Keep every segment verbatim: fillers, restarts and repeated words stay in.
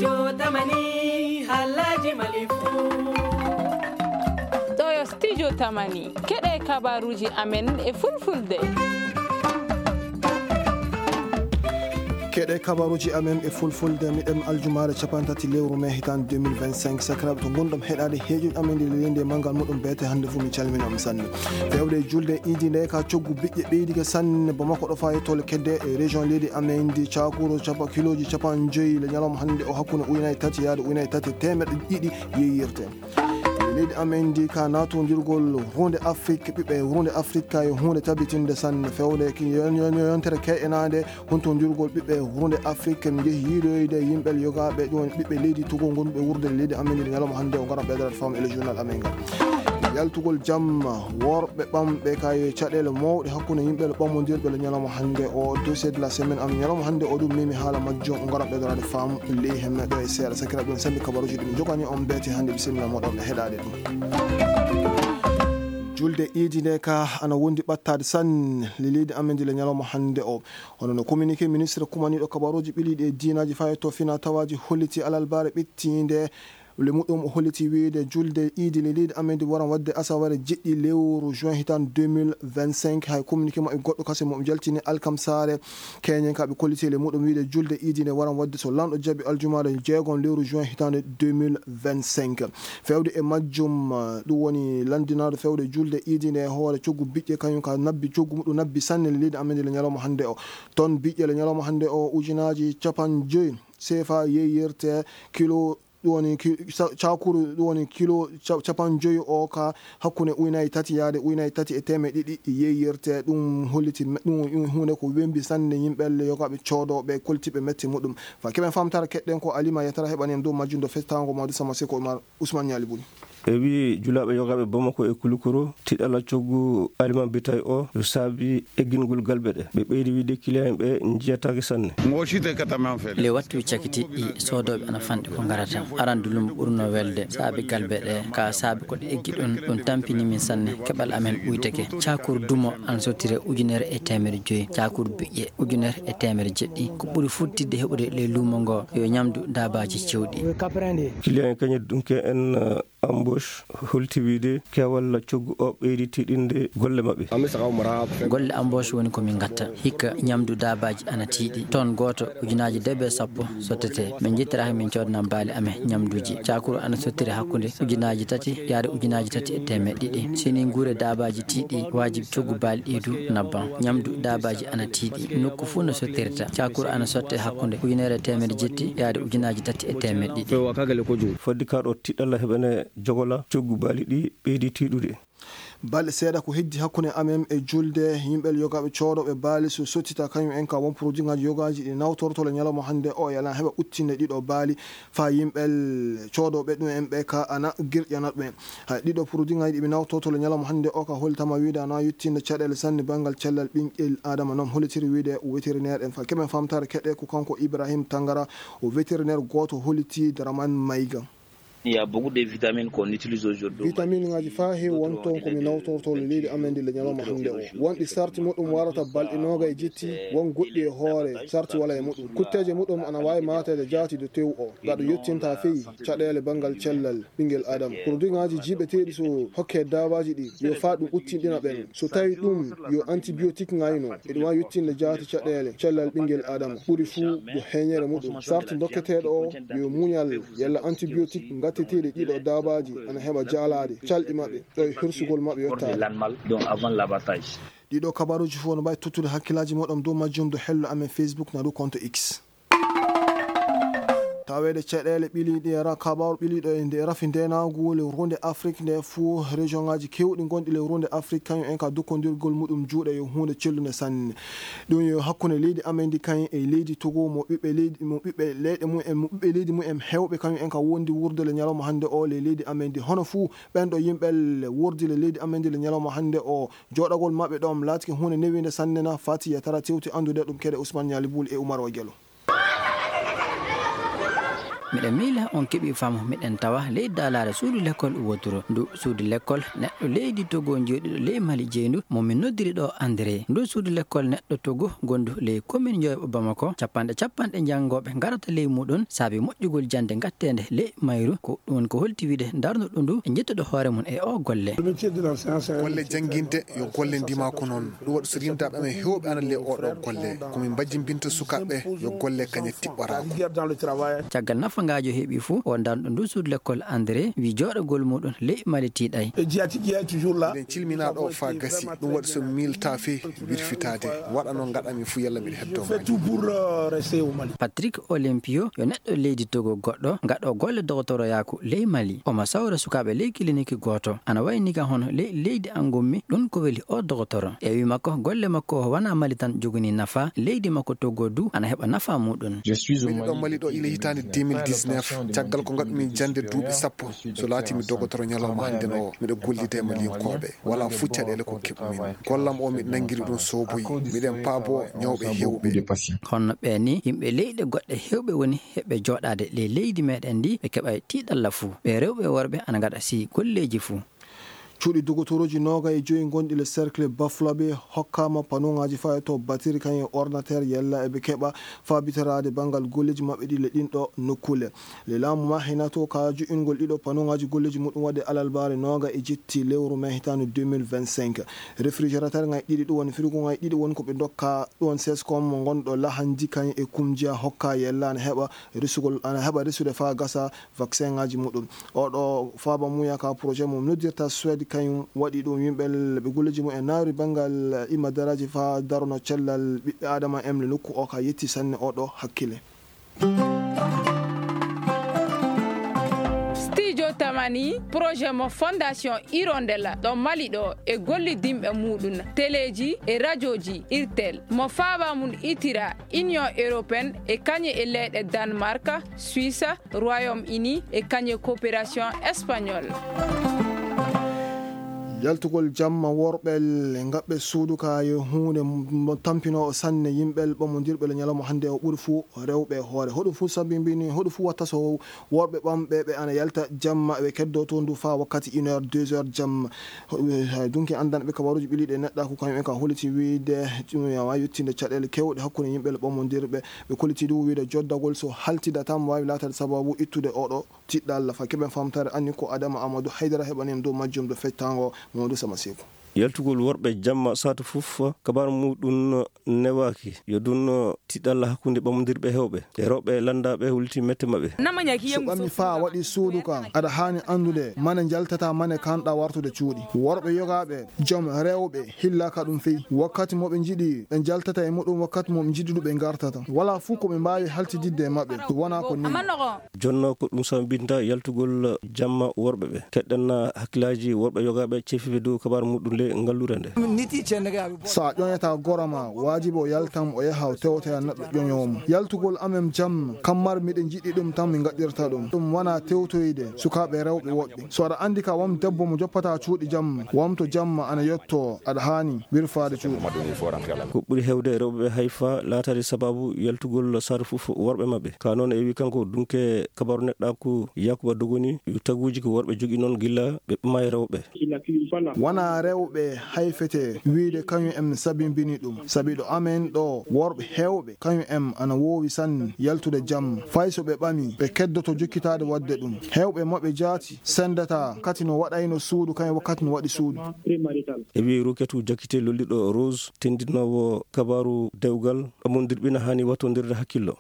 Yo tamani halaji mali fu. Ɗo yo studio tamani. Keɗe kabaruji amen e fulfulde. Keɗe kabaruji amen e fulfulde, miɗen aljumaare capantati lewru mai hitan deux mille vingt-cinq. Sakiraaɓe, to ngonɗon heɗaade heeƴuji amen ɗi leydi e manngal muɗum beete hannde fuu, mi calmina on sanne. Fewde e julde iidi nde ka coggu biƴƴe ɓeydike sanne Bamako ɗo faa yettoo le kedde e région leydi amen ndi, cakuru capa-, kiloji capanɗe joyi le ñalawma hannde o hakkunde ujunaaji tati yaade ujunaaji tati e teemeɗɗe ɗiɗi yeeyirte. Leydi amen ndi ka naatondirgol huunde Afrik, ɓiɓɓe huunde Afrik ka yo huunde tabitinde sanne. Fewde ki yon-, yon-, yontere ke'enaande huntondirgol ɓiɓɓe huunde Afrik, en njehi yiidoyde yimɓe yogaaɓe ɗum woni ɓiɓɓe leydi Togo ngonduɓe wuurde leydi amen ndi ñalawma hannde o ngaran ɓeydoraade faamu e le journal amen ngal. Yaltugol jamma worɓe ɓamɓe ka yo caɗeele mawɗe hakkunde yimɓe ɓamondirɓe le ñalawma hannde o, dossier de la semaine am ñalawma hannde o ɗum memi haala majjum o ngaran ɓeydoraade faamu ley hemmeɗo e seeɗa. Sakiraaɓe, ɗum sambi kabaruji ɗum jogani on beete hannde, bisimilla moɗon e heɗaade ɗum. Julde iidi nde ka ana wondi ɓattaade sanne le leydi amen ndi le ñalawma hannde o. Hono no communiqué ministre kumaniiɗo kabaruuji ɓiliiɗi e diinaaji fayetto fina tawaaji holliti alalbaare ɓittiinde le muɗum, o holliti wiyde julde iidi le leydi amen ndi waran waɗde asawere jeɗɗi lewru juin hitan deux mille vingt-cinq. Hay communiqué maɓɓe goɗɗo kase mo jaltini alkamsaare. Keñen ka ɓe kolliti le muɗum wiyde julde iidi nde waran waɗde so lanɗo jaɓi aljumaare jeegom lewru juin hitande deux mille vingt-cinq. Fewde e majjum, eh, ɗum woni lanndinaaɗo fewde julde iidi nde e hoore coggu biƴƴe, kañum ka nabbi coggu muɗum nabbi sanne le leydi amen ndi le ñalawma hannde o. Ton biƴƴe le ñalawma hannde o ujunaaji capanɗe joyi sefa yeeyirte kilo, ɗum woni ki-, sa-, cakuru, ɗum woni kilo ca-, capanɗe joyi o ka hakkunde ujunaaji tati yaade ujunaaji tati e teemeɗɗe ɗiɗi yeeyirte. Ɗum holliti me-, ɗum, ɗum huunde ko wembi sanne yimɓe le yogaaɓe coodooɓe koltiɓe mette muɗum. Fa keɓen famtare keɗɗen ko Alima Yatara heɓani en dow majjum do festango Mawdi Sama Seko Umar. Ousmane Niali Bouly. E wii julaaɓe yogaaɓe Bamako e Koulikoro, tiɗalla coggu Alima Bitay o yo saabi eggingol galɓe ɗe. Ɓe ɓeydi wiide kiliyan ɓe njiyataake sanne. Mo shi te kata man fe. Le wattu cakitiɗɗi soodooɓe ana fanɗi ko ngarata. Aran dulum ɓurno welde saabi galɓe ɗe, ka saabi ko ɗe eggi ɗum, ɗum tampini min sanne. Keɓal amen ɓuyteke. Caakur dumo ana sottire ujunere e teemere joyi. Caakur biƴƴe ujunere e teemere jeɗɗi. Ko ɓuri futtidde heɓude le luumo ngo yo ñamdu daabaaji cewɗi. Kiliyan en kañe dunke en, eh, embauche holti wiide keewal coggu o ɓeydi tiiɗinde golle maɓɓe. Golle embauche woni ko min ngatta. Hikka ñamdu daabaaji ana tiiɗi. Ton gooto ujunaaji debe sappo sottete. Min njettiraka min coodana baali amen ñamduuji. Cakuru ana sottire hakkunde ujunaaji tati yaade ujunaaji tati e teemeɗɗe ɗiɗi. Sini nguure daabaaji tiiɗi, wajibi coggu baali ɗi du nabban. Ñamdu daabaaji ana tiiɗi. Nokku fuu no sottirta. Cakuru ana sotte hakkunde ujunere e teemere jetti yaade ujunaaji tati e teemeɗɗe ɗiɗi. Fodde ka ɗo tiɗalla heɓene jogola coggu baali ɗi ɓeydi tiiɗude. Balɗe seeɗa ko heddi hakkunde amen e julde, yimɓe yogaaɓe coodooɓe baali so sottita kañum en ka won produit ŋaaji yogaaji ɗi nawtorto le ñalawma hannde o, yala heɓa uttinde ɗiɗo baali fa yimɓe coodooɓe ɗum en ɓe ka ana girƴana ɗum en. Hay ɗiɗo produit ŋaaji ɗi ɓe nawtorto le ñalawma hannde o ka holtama wiide ana yuttinde caɗeele sanne banngal cellal ɓinngel Adama, noon hollitiri wiide o vétérinaire en fa keɓen famtare keɗe ko kanko Ibrahim Tangara, o vétérinaire gooto holliti Dramane Maïga. Il y a beaucoup de vitamines qu'on utilise aujourd'hui. Vitamine ŋaaji faa heewi won toon ko mi nawtorto le leydi amen ndi le ñalawma hannde o. Wonɗi sarti muɗum warata balɗe noogay jetti, won goɗɗi e hoore sarti wala e muɗum. Kutteeje muɗum ana waawi maateede jaati do tew o. Gaɗo yottinta feyi caɗeele banngal cellal ɓinngel Adama. Produit ŋaaji jiiɓeteeɗi so hokke daabaaji ɗi, yo faa ɗum uttinɗina ɓen. So tawi ɗum yo antibiotique ŋayno, eɗum waawi yottinde jaati caɗeele cellal ɓinngel Adama. Ɓuri fuu ko heñere muɗum. Sarti dokketeeɗo o yo muñal yalla antibiotique ngatteteeɗi ɗiɗo daabaaji ana heɓa jaalaade calɗi maɓɓe ɗo e hirsugol maɓɓe yottaade. L'animal, donc avant l'abattage. Ɗiɗo kabaruuji fof no mbawi tottude hakkillaaji moɗon dow majjum dow hello amen Facebook na dow compte X. Taweede caɗeele ɓiliiɗe e ra-, kabaru ɓiliiɗo e nde rafi ndenaagu le runde Afrik nde fuu région ŋaaji keewɗi ngonɗi le runde Afrik kañum en ka dokkondirgol muɗum juuɗe yo huunde cellunde sanne. Ɗum yo hakkunde leydi amen ndi kañum e leydi Togo mo ɓiɓɓe leydi, mo ɓiɓɓe leyɗe mum en, mo ɓiɓɓe leydi mum en heewɓe kañum en ka wondi wurde le ñalawma hannde o le leydi amen ndi. Hono fuu ɓen ɗo yimɓe le wordi le leydi amen ndi le ñalawma hannde o, jooɗagol maɓɓe ɗoon laatike huunde newiinde sanne na fati yetara tewti anndude ɗum kede Ousmane Niali Boul e Oumar Wa Gelo. Miɗen miila on keɓii faamu, miɗen tawa ley daalaare suudu lekkol woturu. Ndu suudu lekkol neɗɗo leydi Togo jooɗiiɗo ley Mali jeyndu mo min noddiri ɗo André. Ndu suudu lekkol neɗɗo Togo gondu ley komin Njoyoɓo Bamako, capanɗe capanɗe janngooɓe ngarata ley muɗum saabi moƴƴugol jannde ngatteende ley mayru. Ko ɗum woni ko holti wiide ndarnuɗo ndu e njettuɗo hoore mum e o golle. Golle jannginde yo golle ndimaku noon. Ɗum waɗi so rindaaɓe amen heewɓe ana le oɗo golle. Ko min mbajjimbinta sukaaɓe yo golle kañe tiɓɓoraako. Caggal nafangaajo heɓi fuu, o darnuɗo ndu suudu lekkol André wi jooɗagol muɗum ley Mali tiiɗay. Eɗen cilminaa ɗo faa gasi. Ɗum waɗi so miilta fii wirfitaade. Waɗa noon ngaɗami fuu yalla miɗa heddo. Patrick Olympio yo neɗɗo leydi Togo goɗɗo gaɗo golle dogotoroyaaku ley Mali. Omo sawra sukaaɓe ley kiliniki gooto. Ana wayi ni ka hono ley leydi an ngommi, ɗum ko weli o dogotoro. E wi makko, golle makko o wanaa Mali tan jogani nafa, leydi makko Togo du ana heɓa nafa muɗum. Miɗo ɗo Mali ɗo ila hitaande deux mille dix-neuf, caggal ko ngaɗumi jannde duuɓi sappo. So laati mi dogotoro ñalawma hannde no, miɗo gollida e Malinkooɓe. Wala fuu caɗeele ko keɓumi. Gollam o miɗo nanngiri ɗum sooboyi. Miɗen paabo ñawɓe heewɓe. Kono ɓe ni, yimɓe leyɗe goɗɗe heewɓe woni heɓe jooɗaade ley leydi meɗen ndi, ɓe keɓay tiiɗalla fuu. Ɓe rewɓe e worɓe ana ngaɗa si golleeji fuu. Cuuɗi dogotorooji noogay e joyi gonɗi le cercle Bafulabe hokkaama panuŋaaji faa e to batiri kañum e ordinateur yalla eɓe keɓa faa bitaraade banngal golleeji maɓɓe ɗi le ɗin ɗo nokkuule. Le laamu ma hinato ka jo'ingol ɗiɗo panuŋaaji golleeji muɗum waɗi alalbaare nooga e jetti lewru mai hitaande deux mille vingt-cinq. Réfrigérateur ŋay ɗiɗi ɗum woni frigo ŋay ɗiɗi woni ko ɓe ndokka ɗum woni sescom mo ngonɗo lahanji kañum e kumjiya hokka yella ana heɓa resugol, ana heɓa resude faa gasa vaccin ŋaaji muɗum. Oɗo faaba muya ka projet mo noddirta Suède kañum waɗi ɗum yimɓe ɓe golleeji mum e naawri banngal imma daraaji faa darono cellal ɓiɓɓe Aadama emle nokku o ka yetti sanne oɗo hakkile. Studio Tamani, projet mo Fondation Hirondelle ɗo Mali ɗo e gollidinɓe muɗum, teleeji e rajooji Irtel, mo faaba mum itira Union Européenne e kañe e leyɗe Danemark, Suisse, Royaume-Uni e kañe coopération espagnole. Yaltugol jamma worɓe le ngaɓɓe suudu ka yo huunde mo tampinoowo sanne yimɓe ɓamondirɓe le ñalawma hannde o ɓuri fuu rewɓe e hoore. Hoɗum fuu sabimbini, hoɗum fuu watta so worɓe ɓamɓe ɓe ana yalta jamma ɓe keddo to ndu faa wakkati une heure, deux heures jamma. Ho-, hay dunki anndanɓe kabaruuji ɓiliiɗi e neɗɗaaku kañum en ka holiti wiide ɗum yawa yettinde caɗeele keewɗe hakkunde yimɓe le ɓamondirɓe. Ɓe koliti du wiide joddagol so haltida tan waawi laataade sababu ittude oɗo tiɗɗalla. Faa keɓen famtare anni ko Adama Amadou Haydara heɓani en dow majjum do feccango Mamadou Sama Seku. Yaltugol worɓe jamma saatu fof, kabaru muɗum newaaki. Yo ɗum tiɗɗalla hakkunde ɓamondirɓe heewɓe e rewɓe lanndaaɓe wulti mette maɓɓe. So ɓami faa waɗi suudu ka, aɗa haani anndude mane njaltata mane kanɗa wartude cuuɗi. Worɓe yogaaɓe, jom rewɓe, hillaka ɗum fey. Wakkati mo ɓe njiɗi, ɓe njaltata e muɗum, wakkati mo ɓe njiɗi ɗum ɓe ngartata. Wala fuu ko ɓe mbaawi haltididde e maɓɓe. Ɗum wonaa ko nii. Jonno ko ɗum sambinta yaltugol jamma worɓe ɓe. Keɗɗen hakkillaaji worɓe yogaaɓe cefiiɓe dow kabaru muɗum le ngalluure nde. So a ƴoñataa gora ma, waajibi o yaltan o yaha o tewtoya neɗɗo ƴoñoowo mo. Yaltugol amen jamma, kammar miɗen njiɗi ɗum tan min ngaɗirta ɗum. Ɗum wonaa tewtoyde sukaaɓe rewɓe woɓɓe. So aɗa anndi ka won debbo mo joppataa cuuɗi jamma, wamto jamma ana yotto, aɗa haani wirfaade cuuɗi. Ko ɓuri heewde rewɓe ɓe hay faa laataade sababu yaltugol saatu fof worɓe maɓɓe. Ka noon e wi kanko dunke kabaru neɗɗaaku Yakuba Dogoni, yo taguuji ko worɓe jogii noon gilla ɓe ɓama e rewɓe. Wonaa rewɓe hay fete wiide kañum en sabimbini ɗum. Sabi ɗo amen ɗo worɓe heewɓe kañum en ana woowi sanne yaltude jamma. Fay so ɓe ɓami, ɓe keddoto jokkitaade waɗde ɗum. Heewɓe maɓɓe jaati sendata kati no waɗayno suudu kañum wakkati no waɗi suudu. E wi Ruketu Jakite lolliɗo Rose, tendinoowo kabaru dewgal, ɓamondirɓe na haani wattondirde hakkillo.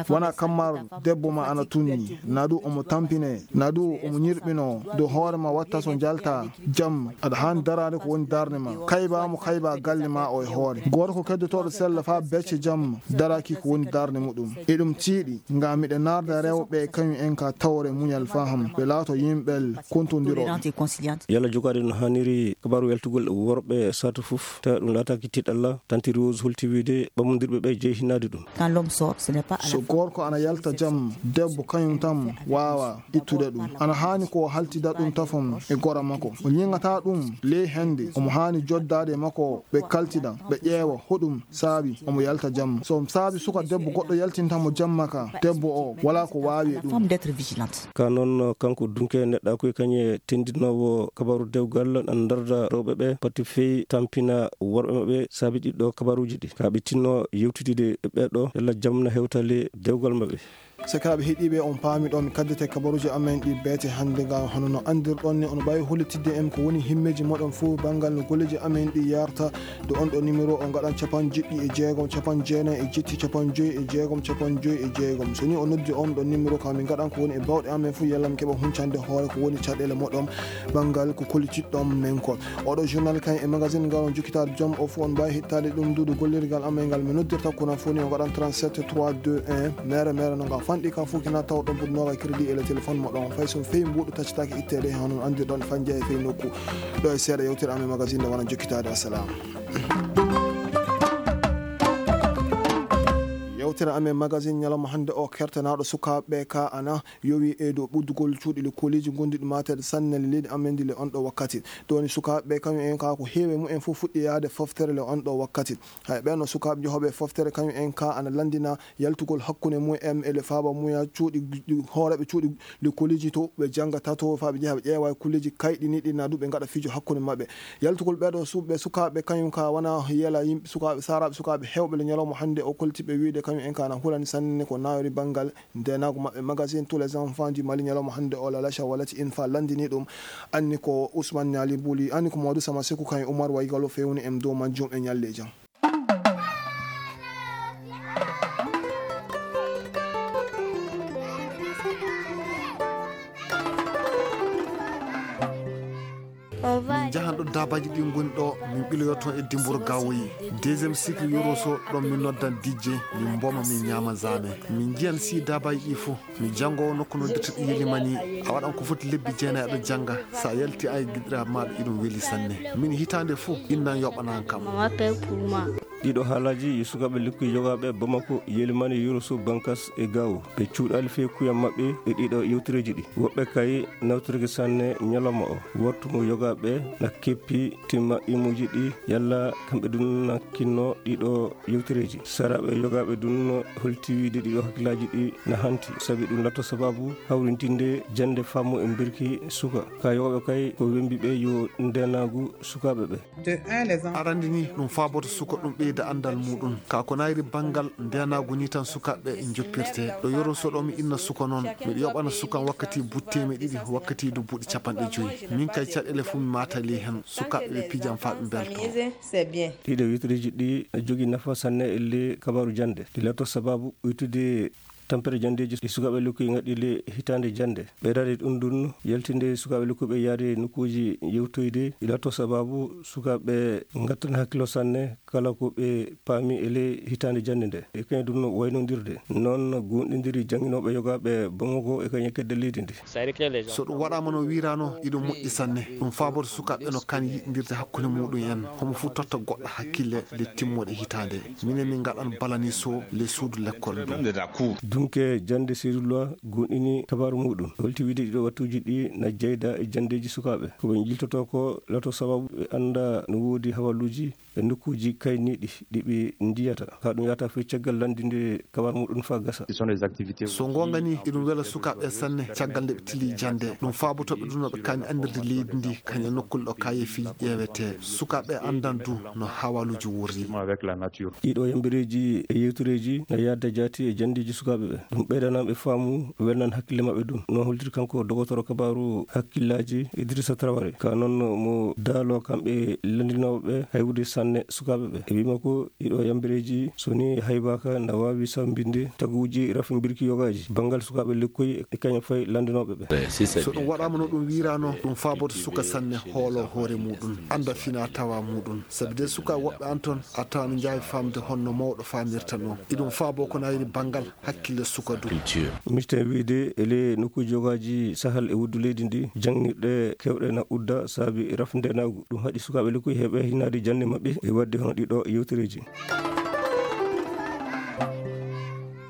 Wonaa kammar debbo ma ana tunni, na du omo tampine, na du omo ñirɓino dow hoore ma watta so njalta jamma. Aɗa haani daraade ko woni darnde ma. Kayba mo kayba galle ma o e hoore. Gooto ko keddotooɗo sella faa becce jamma, daraaki ko woni darnde muɗum. Eɗum tiiɗi, ngam miɗa naarda rewɓe kañum en ka tawre muñal faham. Ɓe laato yimɓe kontondirooɓe. Yalla jogaade no haaniri kabaru yaltugol worɓe saatu fof, tawa ɗum laataaki tiiɗalla, tanti Rose holti wiide ɓamondirɓe ɓe jeyi hinnaade ɗum. So gorko ana yalta jamma, debbo kañum tan waawa ittude ɗum. Ana haani ko o haltida ɗum tafon e gora makko. O ñiŋata ɗum ley Hannde omo haani joddaade e makko, ɓe kaltina, ɓe ƴeewa hoɗum saabi omo yalta jamma. So saabi suka debbo goɗɗo yaltinta mo jamma ka, debbo o walaa ko waawi e ɗum. Ka noon, kanko Dunke neɗɗaaku e kañe tendinoowo kabaaru dewgal, ndarda rewɓe ɓe pati fey tampina worɓe maɓɓe saabi ɗiɗo kabaaruuji ɗi. Ka ɓe tinno yewtidide e ɓeeɗo, yalla jam na hewtali dewgal maɓɓe. Sakiraaɓe heɗiiɓe, on paami ɗo mi kaddete kabaruuji amen ɗi beete hannde. Ngam hono no anndirɗon ni, on mbaawi hollitidde en ko woni himmeeji moɗon fof banngal no golleeji amen ɗi yarta. Do on ɗo numéro, on ngaɗan capanɗe jeɗɗi e jeegom, capanɗe jeenayi e jetti, capanɗe joyi e jeegom, capanɗe joyi e jeegom. So ni on noddi on ɗo numéro, ka min ngaɗan ko woni e bawɗe amen fof, yalla mi keɓa huncande hoore ko woni caɗeele moɗon banngal ko kollitiɗɗon men ko. Oɗo journal kan e magazine ngal on jokkitaade joom o fof, on mbaawi heɗitaade ɗum duudu gollirgal amen ngal. Mi noddirta ko na fof ni, on ngaɗan trente-sept trois deux un, mere mere no ngal fanɗi ka fof kina taw ɗon buɗnooga crédit e le téléphone moɗon. Fay so feewi mbuuɗu taccitaake itteede, hono on anndirɗon fanje e fey nokku. Ɗo e seeɗa yewtere amen magazine nde wona jokkitaade. Assalamu. Yewtere amen magazine ñalawma hannde o kertanaaɗo sukaaɓe ka ana yowi e dow ɓuddugol cuuɗi le kolleeji ngonduɗi mateede sanne le leydi amen ndi le on ɗo wakkati. Ɗoni sukaaɓe kañum en ka ko heewi e mumen fof fuɗɗi yaade foftere le on ɗo wakkati. Hay ɓen no sukaaɓe jehooɓe e foftere kañum en ka ana lanndina yaltugol hakkunde mumen e le faaba muya cuuɗi, hooreeɓe cuuɗi le kolleeji to ɓe janngata to faa ɓe njeha ɓe ƴeewa e kolleeji kayɗiniiɗi na ɗum ɓe ngaɗa fijo hakkunde maɓɓe. Yaltugol ɓeeɗo suɓɓe sukaaɓe kañum ka wona yela yimɓe sukaaɓe saaraaɓe sukaaɓe heewɓe le ñalawma hannde o kolliti ɓe wiide kañum en ka na hulani sanne ko nawri banngal ndeenaagu maɓɓe. Magazine Tous les enfants du Mali ñalawma hannde o Lalacha Walati Infa lanndini ɗum. Anni ko Ousmane Niali Buli, anni ko Mamadou Sama Sekou kañum Oumar Waygalo fewni en dow majjum e ñalleeji. Min njahan ɗo daabaaji ɗi ngoni ɗo, min ɓiloyo toon e dimboro gawoyi. Deuxième cycle yoroso ɗon min noddan dijje, min mboma, min ñaama zame. Min njiyan si daabaaji ɗi fof. Mi janngoowo nokku noddirta ɗi yelimani, a waɗan ko foti lebbi jeenayi aɗa jannga, so a yalti a e giɗiraaɓe maaɗa iɗum weli sanne. Min hitaande fof innan yoɓanan kam. Ɗiɗo haalaaji yo sukaaɓe lekkuy yogaaɓe Bamako, Yelimani, Yoroso, Bankas e Gaawo. Ɓe cuuɗaali fey kuyam maɓɓe e ɗiɗo yewtereeji ɗi. Woɓɓe kay nawtorike sanne ñalawma o. Wartu mo yogaaɓe na keppi timma imuuji ɗi yalla kamɓe dun na kinno ɗiɗo yewtereeji. Saraaɓe yogaaɓe dun holti wiide ɗiɗo hakkillaaji ɗi na hanti, sabi ɗum latto sababu hawrintinde jannde faamu e mbirki suka. Ka yogaaɓe kay ko wembi ɓe yo ndeenaagu sukaaɓe ɓe. Arande ni ɗum faaboto suka ɗum ɓeyda anndal muɗum. Ka ko nayri banngal ndeenaagu ni tan sukaaɓe joppirte. Ɗo Yoroso ɗo mi inna suka noon, miɗo yoɓana sukan wakkati buɗi teemeɗɗe ɗiɗi, wakkati du buɗi capanɗe joyi. Min kay caɗeele fof mi maatali heen, sukaaɓe ɓe pijan faa ɓe mbelto. Ɗiɗo yewtereeji ɗi na jogii nafa sanne e le kabaaru jannde. Ɗi lato sababu uytude tampere janndeeji ɗi sukaaɓe lekkoy ngaɗi le hitaande jannde. Ɓeydaade ɗum ɗum, yaltinde sukaaɓe lekkoy ɓe yaade nokkuuji yewtoyde, ɗi lato sababu sukaaɓe ngattana hakkilo sanne kala ko ɓe paami e le hitaande jannde nde. E kañum ɗum no waynondirde. Noon goonɗindiri jannginooɓe yogaaɓe Bamako e kañum kedde leydi ndi. So ɗum waɗaama no wiiraano, iɗum moƴƴi sanne. Ɗum faaboto sukaaɓe no kan yiɗindirde hakkunde muɗum en. Homo fof totta goɗɗo hakkille le timmoɗe hitaande. Minen min ngaɗan balani so le suudu lekkol ndu. Dunke jannde Seydou Lois goonɗini kabaaru muɗum. Holti wiide ɗiɗo wattuuji ɗi na jeyda e janndeeji sukaaɓe. Ko ɓe njiltotoo ko lato sababu ɓe annda no woodi hawaluuji e nokkuuji kayniiɗi ɗi ɓe ndiyata. Ka ɗum yahata fey caggal lanndinde kabaaru muɗum faa gasa. So ngoonga ni, iɗum wela sukaaɓe sanne caggal nde ɓe tili jannde. Ɗum faaboto ɓe ɗum no ɓe kaani anndirde leydi ndi, kañum e nokkuule ɗo kaayeefiiji ƴeewetee. Sukaaɓe anndan du no hawaluuji worri. Ɗiɗo yambireeji e yewtereeji no yahda jaati e janndeeji sukaaɓe ɓe. Ɗum ɓeydanan ɓe faamu, welnan hakkille maɓɓe ɗum. No holtiri kanko dogotoro kabaaru hakkillaaji Idrissa Traoré. Ka noon mo daalo kamɓe lanndinooɓe ɓe hay wude sanne sukaaɓe ɓe. E wii makko ɗiɗo yambireeji so ni haybaaka na waawi sambinde taguuji rafimbirki yogaaji banngal sukaaɓe lekkoy e kañum fay lanndinooɓe ɓe. So ɗum waɗaama no ɗum wiiraano, ɗum faaboto suka sanne hoolo hoore muɗum, annda fina tawa muɗum. Sabi de suka woɓɓe an toon a tawan njaawi faamde honno mawɗo faamirta noon. Iɗum faabo ko nayri banngal hakkille suka du. Misten wiide ele nokkuuji yogaaji sahal e wuddu leydi ndi, janngirɗe keewɗe na udda saabi rafndenaagu. Ɗum haɗi sukaaɓe lekkoy heɓe hinaade jannde maɓɓe e waɗde hono ɗiɗo yewtereeji.